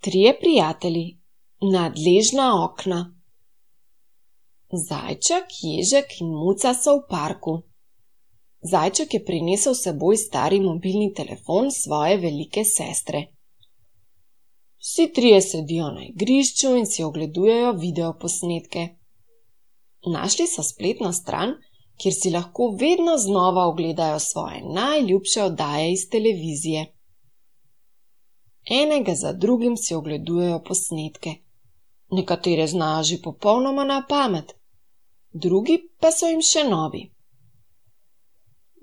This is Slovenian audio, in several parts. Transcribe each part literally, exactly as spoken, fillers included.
Trije prijatelji, nadležna okna. Zajček, ježek in muca so v parku. Zajček je prinesel s seboj stari mobilni telefon svoje velike sestre. Vsi trije sedijo na igrišču in si ogledujejo videoposnetke. Našli so spletno stran, kjer si lahko vedno znova ogledajo svoje najljubše oddaje iz televizije. Enega za drugim si ogledujejo posnetke. Nekatere znajo že popolnoma na pamet, drugi pa so jim še novi.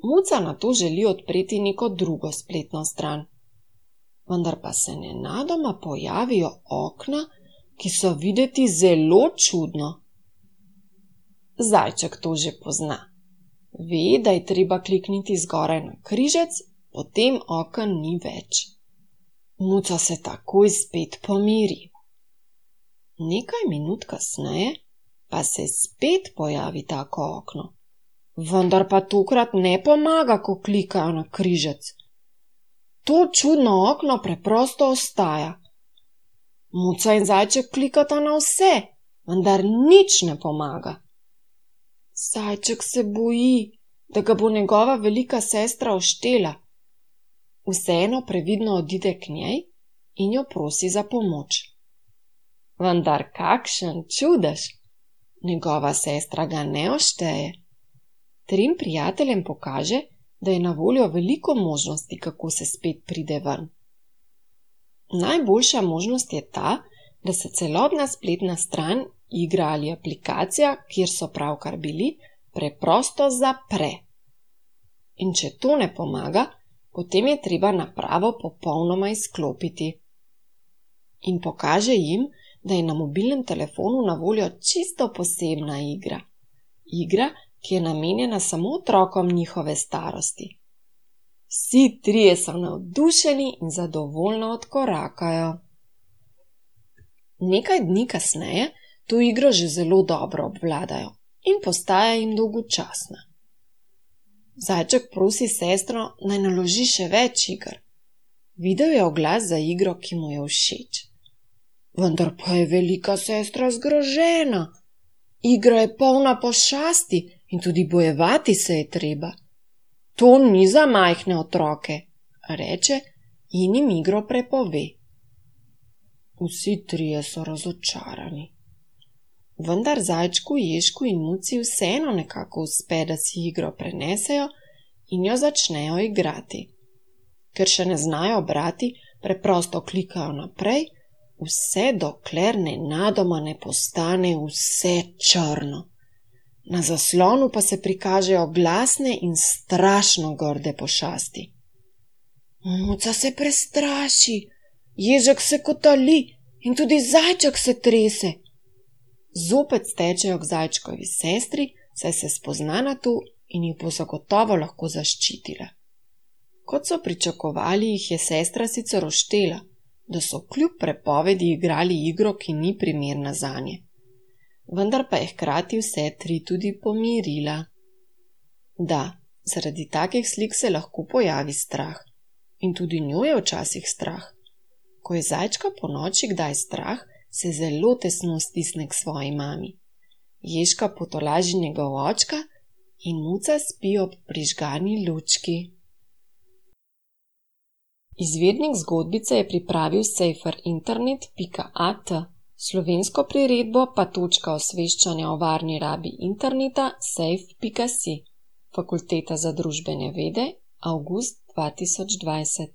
Muca nato želi odpreti neko drugo spletno stran, vendar pa se nenadoma pojavijo okna, ki so videti zelo čudno. Zajček to že pozna. Ve, da je treba klikniti zgoraj na križec, potem oken ni več. Muca se takoj spet pomiri. Nekaj minut kasneje pa se spet pojavi tako okno. Vendar pa tokrat ne pomaga, ko klikajo na križec. To čudno okno preprosto ostaja. Muca in zajček klikata na vse, vendar nič ne pomaga. Zajček se boji, da ga bo njegova velika sestra oštela. Vseeno previdno odide k njej in jo prosi za pomoč. Vendar kakšen čudež! Njegova sestra ga ne ošteje. Trim prijateljem pokaže, da je na voljo veliko možnosti, kako se spet pride ven. Najboljša možnost je ta, da se celotna spletna stran, igra ali aplikacija, kjer so pravkar bili, preprosto zapre. In če to ne pomaga, potem je treba napravo popolnoma izklopiti. In pokaže jim, da je na mobilnem telefonu na voljo čisto posebna igra. Igra, ki je namenjena samo otrokom njihove starosti. Vsi trije so navdušeni in zadovoljno odkorakajo. Nekaj dni kasneje to igro že zelo dobro obvladajo in postaja jim dolgočasna. Zajček prosi sestro, naj naloži še več iger. Videl je oglas za igro, ki mu je všeč. Vendar pa je velika sestra zgrožena. Igra je polna pošasti in tudi bojevati se je treba. To ni za majhne otroke, reče in jim igro prepove. Vsi trije so razočarani. Vendar zajčku, ježku in muci vseeno nekako uspe, da si igro prenesejo in jo začnejo igrati. Ker še ne znajo brati, preprosto klikajo naprej, vse dokler nenadoma ne postane vse črno. Na zaslonu pa se prikažejo glasne in strašno grde pošasti. Muca se prestraši, ježek se kotali in tudi zajček se trese. Zopet stečejo k zajčkovi sestri, saj se spozna na to in jih bo zagotovo lahko zaščitila. Kot so pričakovali, jih je sestra sicer oštela, da so kljub prepovedi igrali igro, ki ni primerna zanje. Vendar pa je hkrati vse tri tudi pomirila. Da, zaradi takih slik se lahko pojavi strah. In tudi njo je včasih strah. Ko je zajčka po noči kdaj strah, se zelo tesno stisne k svoji mami. Ježka potolaži njegov očka in muca spi ob prižgani lučki. Izvirnik zgodbice je pripravil sejferinternet pika at, slovensko priredbo pa točka osveščanja o varni rabi interneta sejf pika si, Fakulteta za družbene vede, avgust dva tisoč dvajset.